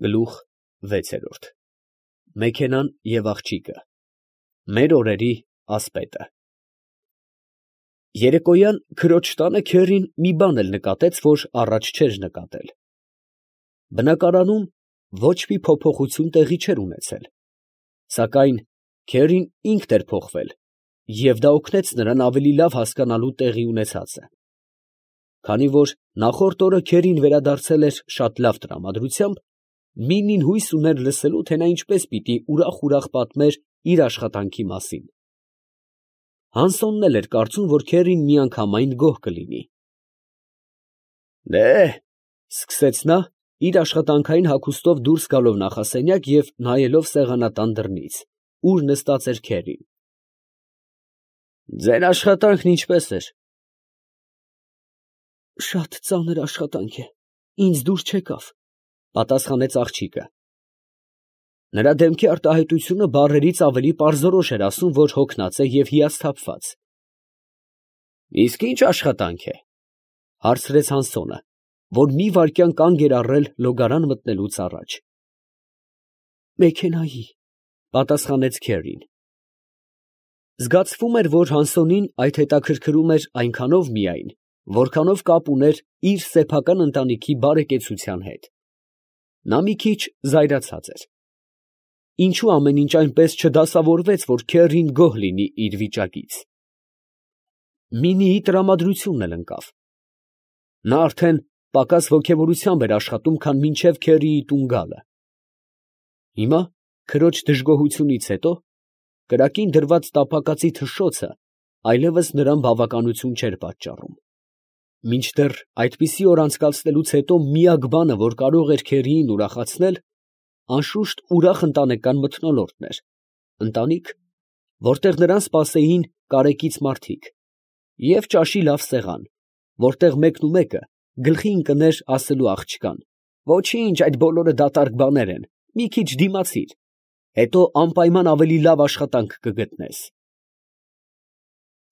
Գլուխ 6 Մեքենան և աղջիկը Մեր օրերի ասպետը Երեկոյան քրոջ տանը Քերին մի բան էլ նկատեց, որ առաջ չէր նկատել. բնակարանում ոչ մի փոփոխություն տեղի չէր ունեցել, սակայն Քերին ինքն էր փոխվել, և դա օգնեց նրան ավելի լավ հասկանալու տեղի ունեցածը, քանի որ նախորդ օրը Քերին վերադարձել էր շատ լավ տրամադրությամբ, Մինին հույս ուներ լսելու, թե նա ինչպես պիտի ուրախ պատմեր իր աշխատանքի մասին. Հանսոնն էլ էր կարծում, որ Քերին միանգամայն գոհ կլինի։ Սկսեց նա, իր աշխատանքային հագուստով դուրս գալով նախասենյակ և նայելով սեղանատան դռնից, ուր նստած էր Քերին։ Ձեր աշխատանքն ինչպե՞ս էր։ Շատ ծանր աշխատանք է, ինձ դուր չեկավ, պատասխանեց աղջիկը։ Նրա դեմքի արտահայտությունը բառերից ավելի պարզորոշ էր ասում, որ հոգնած է և հիասթափված։ Իսկ ի՞նչ աշխատանք է, հարցրեց Հանսոնը, որ մի վայրկյան կանգ էր առել լոգարան մտնելուց առաջ։ Մեքենայի, պատասխանեց Քերին։ Զգացվում էր, որ Հանսոնին այդ հետաքրքրում էր այնքանով միայն, որքանով կապ ուներ իր սեփական ընտանիքի բարեկեցության հետ։ Նա մի քիչ զայրացած էր։ Ինչու ամեն ինչ այնպես չդասավորվեց, որ Քերին գոհ լինի իր վիճակից։ Մինիի տրամադրությունն էլ ընկավ։ Նա արդեն պակաս ոգևորությամբ էր աշխատում, քան մինչև Քերիի տուն գալը։ Հիմա, քրոջ դժգոհությունից հետո, կրակին դրված տապակածի թշշոցը այլևս նրան բավականություն չէր պատճառում։ Մինչդեռ այդպիսի օր անցկացնելուց հետո միակ բանը, որ կարող էր Քերիին ուրախացնել, անշուշտ ուրախ ընտանեկան մթնոլորտն էր, ընտանիք, որտեղ նրան սպասեին կարեկից մարդիկ, և ճաշի լավ սեղան, որտեղ մեկը գլխի ընկներ ասելու աղջկան. «Ոչինչ, այդ բոլորը դատարկ բաներ են, մի քիչ դիմացիր, հետո անպայման ավելի լավ աշխատանք կգտնես»։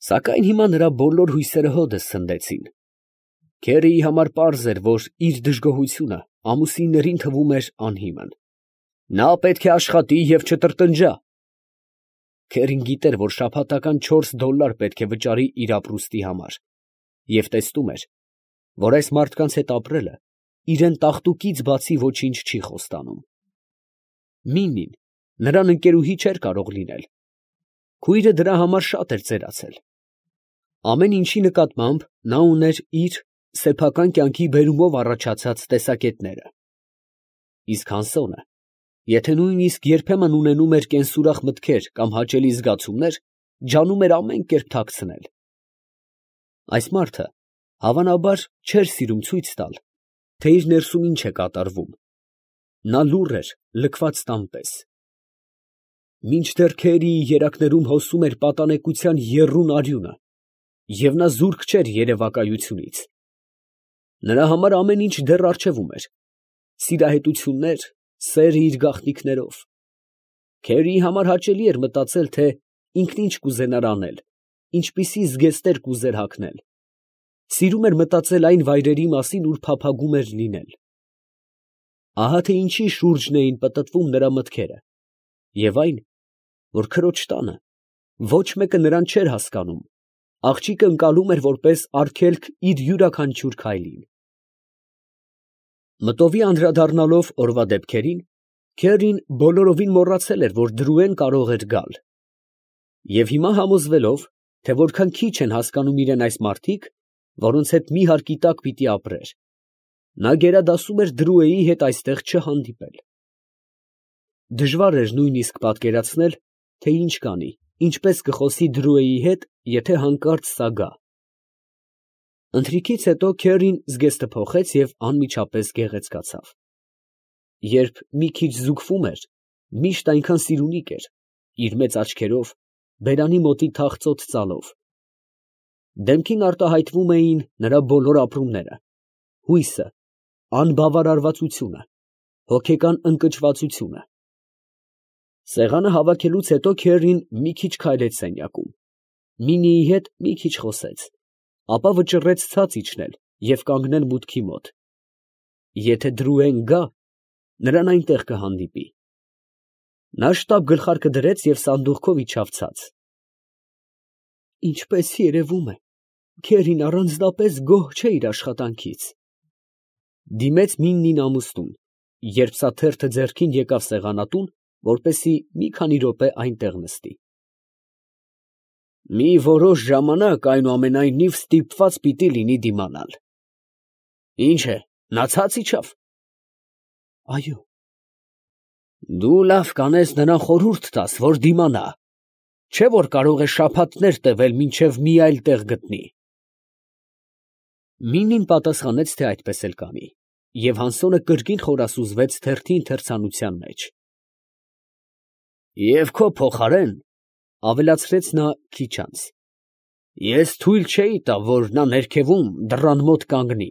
Սակայն հիմա նրա բոլոր հույսերը հօդս ցնդեցին։ Քերիի համար պարզ էր, որ իր դժգոհությունը ամուսիններին թվում էր անհիմն։ Նա պետք է աշխատի և չտրտնջա։ Քերին գիտեր, որ շաբաթական $4 պետք է վճարի իր ապրուստի համար, և տեսնում էր, որ այս մարդկանց հետ ապրելը իրան տաղտուկից բացի ոչինչ չի խոստանում։ Մինին նրան ընկերուհի չէր կարող լինել։ Քույրը դրա համար շատ էր ծերացել։ Ամեն ինչի նկատմամբ նա ուներ իր սեփական կյանքի բերումով առաջացած տեսակետները։ Իսկ Հանսոնը, եթե նույնիսկ երբեմն ունենում էր կենսուրախ մտքեր կամ հաճելի զգացումներ, ջանում էր ամեն կերպ թաքցնել։ Այս մարդը, հավանաբար, չէր սիրում ցույց տալ, թե իր ներսում ինչ է կատարվում։ Նա լուռ էր, լքված տան պես։ Մինչդեռ Քերիի երակներում հոսում էր պատանեկության եռուն արյունը, և նա զուրկ չէր երևակայությունից։ Նրա համար ամեն ինչ դեռ առջևում էր. սիրահետություններ, սերը իր գաղտնիքներով։ Քերիի համար հաճելի էր մտածել, թե ինքն ինչ կուզենար անել, ինչպիսի զգեստներ կուզեր հագնել։ Սիրում էր մտածել այն վայրերի մասին, ուր փափագում էր լինել։ Ահա թե ինչի շուրջն էին պտտվում նրա մտքերը, և այն, որ քրոջ տանը ոչ մեկը նրան չէր հասկանում, աղջիկը ընկալում էր որպես արգելք իր յուրաքանչյուր քայլին։ Մտովի անդրադառնալով օրվա դեպքերին, Քերին բոլորովին մոռացել էր, որ Դրուեն կարող էր գալ։ Եվ հիմա համոզվելով, թե որքան քիչ են հասկանում իրեն այս մարդիկ, որոնց հետ մի հարկի տակ պիտի ապրեր, նա գերադասում էր Դրուեի հետ այստեղ չհանդիպել։ Դժվար էր նույնիսկ պատկերացնել, թե ինչ կանի, ինչպես կխոսի Դրուեի հետ, եթե հանկարծ սա գա։ Ընթրիքից հետո Քերին զգեստը փոխեց և անմիջապես գեղեցկացավ։ Երբ մի քիչ զուգվում էր, միշտ այնքան սիրունիկ էր, իր մեծ աչքերով, բերանի մոտի թախծոտ ծալով։ Դեմքին արտահայտվում էին նրա բոլոր ապրումները, հույսը, անբավարարվածությունը, հոգեկան ընկճվածությունը։ Սեղանը հավաքելուց հետո Քերին մի քիչ քայլեց սենյակում, Մինիի հետ մի քիչ խոսեց, ապա վճռեց ցած իջնել և կանգնել մուտքի մոտ։ Եթե Դրուեն գա, նրան այնտեղ կհանդիպի։ Նա շտապ գլխարկը դրեց և սանդուղքով իջավ ցած։ Ինչպես երևում է, Քերին առանձնապես գոհ չէ իր աշխատանքից, դիմեց Միննին ամուսնուն, երբ սա թերթը ձեռքին եկավ սեղանատուն, որպեսզի մի քանի րոպե այնտեղ նստի։ Մի որոշ ժամանակ այնուամենայնիվ ստիպված պիտի լինի դիմանալ։ Ինչ է, նա ցած իջավ։ Այո։ Դու լավ կանես նրան խորհուրդ տաս, որ դիմանա, չէ՞ որ կարող է շաբաթներ տևել, մինչև մի այլ տեղ գտնի։ Մինին պատասխանեց, թե այդպես էլ կանի, և Հանսոնը կրկին խորասուզվեց թերթի ընթերցանության մեջ։ Եվ քո փոխարեն, ավելացրեց նա քիչ անց, ես թույլ չէի տա, որ նա ներքևում դռան մոտ կանգնի։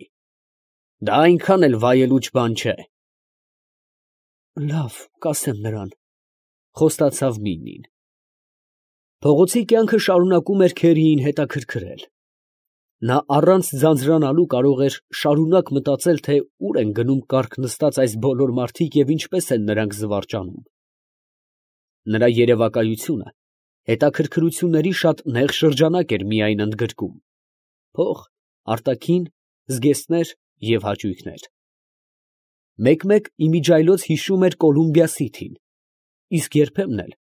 Դա այնքան էլ վայելուչ բան չէ։ Լավ, կասեմ նրան, խոստացավ Մինին։ Փողոցի կյանքը շարունակում էր Քերիին հետաքրքրել։ Նա առանց ձանձրանալու կարող էր շարունակ մտածել, թե ուր են գնում կառք նստած այս բոլոր մարդիկ և ինչպես են նրանք զվարճանում։ Նրա երևակայությունը հետաքրքրությունների շատ նեղ շրջանակ էր միայն ընդգրկում. փող, արտաքին, զգեստներ և հաճույքներ։ Մեկ֊մեկ իմիջիայլոց հիշում էր Կոլումբիա Սիթիին, իսկ երբեմն էլ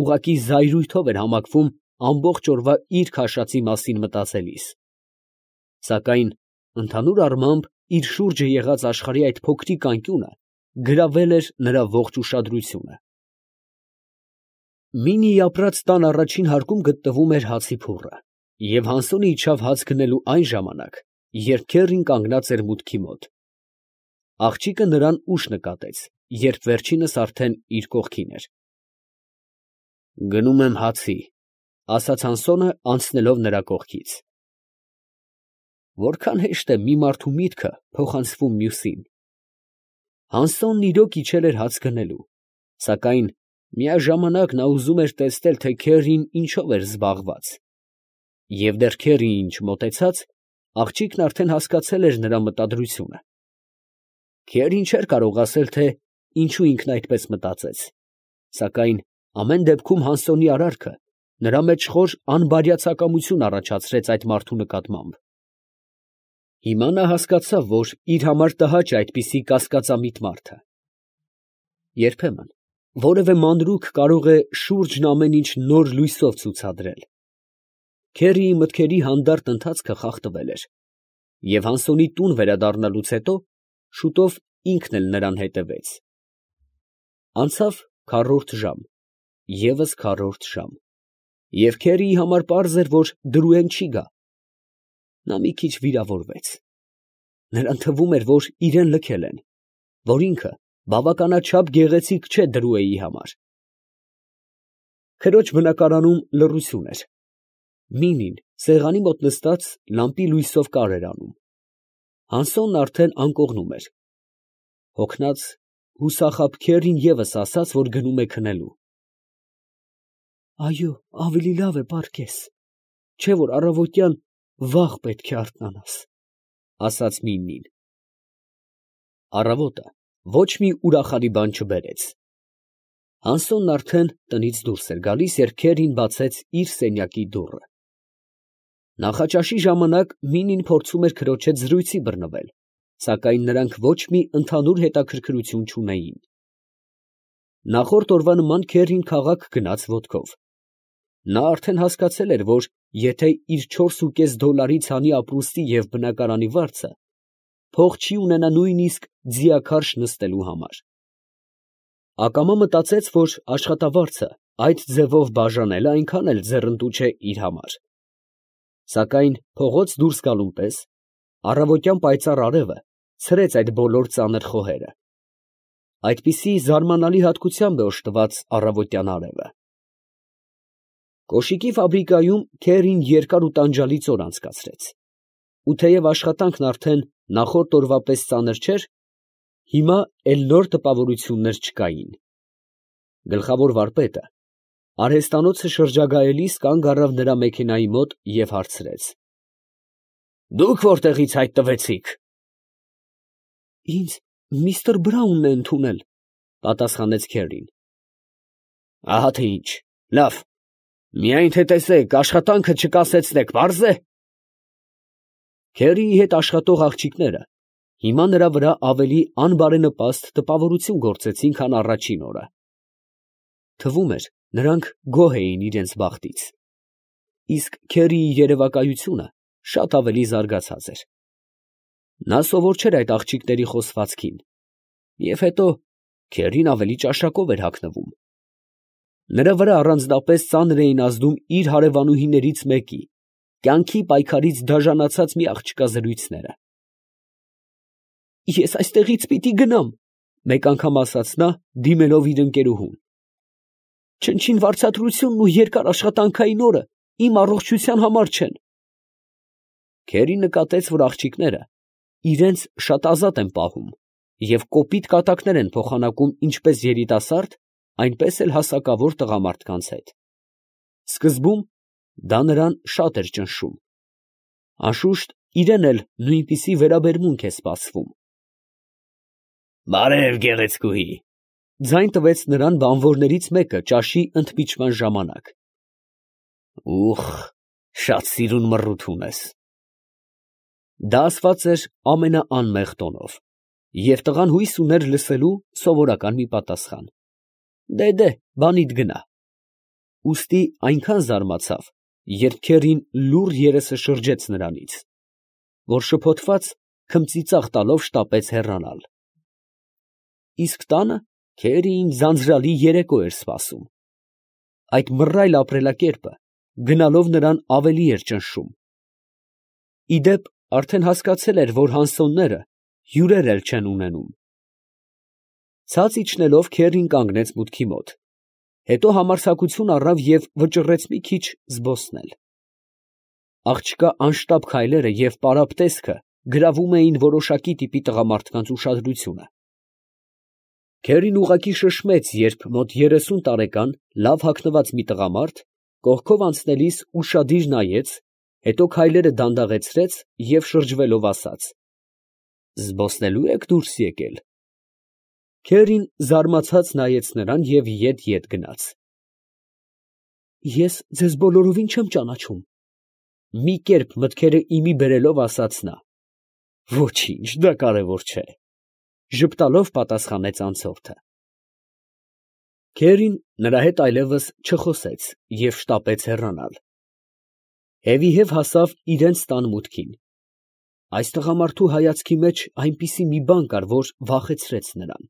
ուղղակի զայրույթով էր համակվում ամբողջ օրվա իր քաշածի մասին մտածելիս։ Սակայն ընդհանուր առմամբ իր շուրջը եղած աշխարհի այդ փոքրիկ անկյունը գրավել էր նրա ողջ ուշադրությունը։ Մինիի ապրած տան առաջին հարկում գտնվում էր հացի փուռը, և Հանսոնը իջավ հաց գնելու այն ժամանակ, երբ Քերին կանգնած էր մուտքի մոտ։ Աղջիկը նրան ուշ նկատեց, երբ վերջինս արդեն իր կողքին էր։ Գնում եմ հացի, ասաց Հանսոնը, անցնելով նրա կողքից։ Որքան հեշտ է մի մարդու միտքը փոխանցվում մյուսին։ Հանսոնն իրոք իջել էր հաց գնելու, սակայն միաժամանակ նա ուզում էր տեսնել, թե Քերին ինչով էր զբաղված։ Եվ դեռ Քերիին չմոտեցած, աղջիկն արդեն հասկացել էր նրա մտադրությունը։ Քերին չէր կարող ասել, թե ինչու ինքն այդպես մտածեց, սակայն ամեն դեպքում Հանսոնի արարքը նրա մեջ խոր անբարյացակամություն առաջացրեց այդ մարդու նկատմամբ։ Հիմա նա հասկացավ, որ իր համար տհաճ է այդպիսի կասկածամիտ մարդը։ Երբեմն որևէ մանրուք կարող է շուրջն ամեն ինչ նոր լույսով ցուցադրել։ Քերիի մտքերի հանդարտ ընթացքը խախտվել էր, և Հանսոնի տուն վերադառնալուց հետո շուտով ինքն էլ նրան հետևեց։ Անցավ քառորդ ժամ, ևս քառորդ ժամ, և Քերիի համար պարզ էր, որ Դրուեն չի գա։ Նա մի քիչ վիրավորվեց։ Նրան թվում էր, որ իրան լքել են, որ ինքը բավականաչափ գեղեցիկ չէ Դրուեի համար։ Քրոջ բնակարանում լռություն էր։ Մինին սեղանի մոտ նստած լամպի լույսով կար էր անում։ Հանսոնն արդեն անկողնում էր։ Հոգնած, հուսախաբ Քերին ևս ասաց, որ գնում է քնելու։ Այո, ավելի լավ է պառկես, չէ՞ որ առավոտյան վաղ պետք է արթնանաս, ասաց Մինին։ Առավոտը ոչ մի ուրախալի բան չբերեց։ Հանսոնն արդեն տնից դուրս էր գալիս, երբ Քերին բացեց իր սենյակի դուռը։ Նախաճաշի ժամանակ Մինին փորձում էր քրոջ հետ զրույցի բռնվել, սակայն նրանք ոչ մի ընդհանուր հետաքրքրություն չունեին։ Նախորդ օրվա նման Քերին քաղաք գնաց ոտքով։ Նա արդեն հասկացել էր, որ եթե իր 4,5 դոլարի ցանի ապրուստի և բնակարանի վարձը, փող չի ունենա նույնիսկ ձիաքարշ նստելու համար։ Ակամա մտածեց, որ աշխատավարձը այդ ձևով բաժանելը այնքան էլ ձեռնտու չէ իր համար։ Սակայն փողոց դուրս գալուն պես առավոտյան պայծառ արևը ցրեց այդ բոլոր ծանր խոհերը։ Այդպիսի զարմանալի հատկությամբ է օժտված առավոտյան արևը։ Կոշիկի ֆաբրիկայում Քերին երկար ու տանջալից օր անցկացրեց, ու թեև աշխատանքն արդեն նախորդ օրվա պես ծանր չէր, հիմա էլ նոր տպավորություններ չկային։ Գլխավոր վարպետը արհեստանոցը շրջագայելիս կանգ առավ նրա մեքենայի մոտ և հարցրեց. Դուք որտեղից հայտնվեցիք։ Ինձ միստր Բրաունն է ընդունել, Պատասխանեց Քերին։ Ահա թե ինչ, լավ, միայն թե տեսեք, աշխատանքը չկասեցնեք, պարզ է։ Քերիի հետ աշխատող աղջիկները հիմա նրա վրա ավելի անբարենպաստ տպավորություն գործեցին, քան առաջին օրը։ Թվում էր, նրանք գոհ էին իրենց բախտից, իսկ Քերիի երևակայությունը շատ ավելի զարգացած էր։ Նա սովոր չէր այդ աղջիկների խոսվածքին, և հետո Քերին ավելի ճաշակով էր հագնվում։ Նրա վրա առանձնապես ծանր էին ազդում իր հարևանուհիներից մեկի, կյանքի պայքարից դաժանացած մի աղջկա զրույցները։ Ես այստեղից պիտի գնամ, մեկ անգամ ասաց նա, դիմելով իր ընկերուհուն։ Չնչին վարձատրությունն ու երկար աշխատանքային օրը իմ առողջության համար չեն։ Քերին նկատեց, որ աղջիկները իրենց շատ ազատ են պահում և կոպիտ կատակներ են փոխանակում ինչպես երիտասարդ, այնպես էլ հասակավոր տղամարդկանց հետ։ Սկզբում դա նրան շատ էր ճնշում։ Անշուշտ իրեն էլ նույնպիսի վերաբերմունք է սպասվում։ Բարև, գեղեցկուհի, ձայն տվեց նրան բանվորներից մեկը ճաշի ընդմիջման ժամանակ։ Ուխ, շատ սիրուն մռութ ունես։ Դա ասված էր ամենաանմեղ տոնով, և տղան հույս ուներ լսելու սովորական մի պատասխան։ Դե, բանիդ գնա։ Ուստի այնքան զարմացավ, երբ Քերին լուռ երեսը շրջեց նրանից, որ շփոթված քմծիծաղ տալով շտապեց հեռանալ։ Իսկ տանը Քերիին ձանձրալի երեկո էր սպասում։ Այդ մռայլ ապրելակերպը գնալով նրան ավելի էր ճնշում։ Ի դեպ, արդեն հասկացել էր, որ հանսոնները հյուրեր էլ չեն ունենում։ Ցած իջնելով Քերին կանգնեց մուտքի մոտ, հետո համարձակություն առավ և վճռեց մի քիչ զբոսնել։ Աղջկա անշտապ քայլերը և պարապ տեսքը գրավում էին որոշակի տիպի տղամարդկանց ուշադրությունը։ Քերին ուղղակի շշմեց, երբ մոտ 30 տարեկան լավ հագնված մի տղամարդ կողքով անցնելիս ուշադիր նայեց, հետո քայլերը դանդաղեցրեց և շրջվելով ասաց. «Զբոսնելու եք դուրս եկել»։ Քերին զարմացած նայեց նրան և ետ գնաց։ Ես ձեզ բոլորովին չեմ ճանաչում, մի կերպ մտքերը իմի բերելով ասաց նա։ Ոչինչ, դա կարևոր չէ, ժպտալով պատասխանեց անցորդը։ Քերին նրա հետ այլևս չխոսեց և շտապեց հեռանալ։ Հետևի հասավ իրենց տան մուտքին։ Այս տղամարդու հայացքի մեջ այնպիսի մի բան կար, որ վախեցրեց նրան։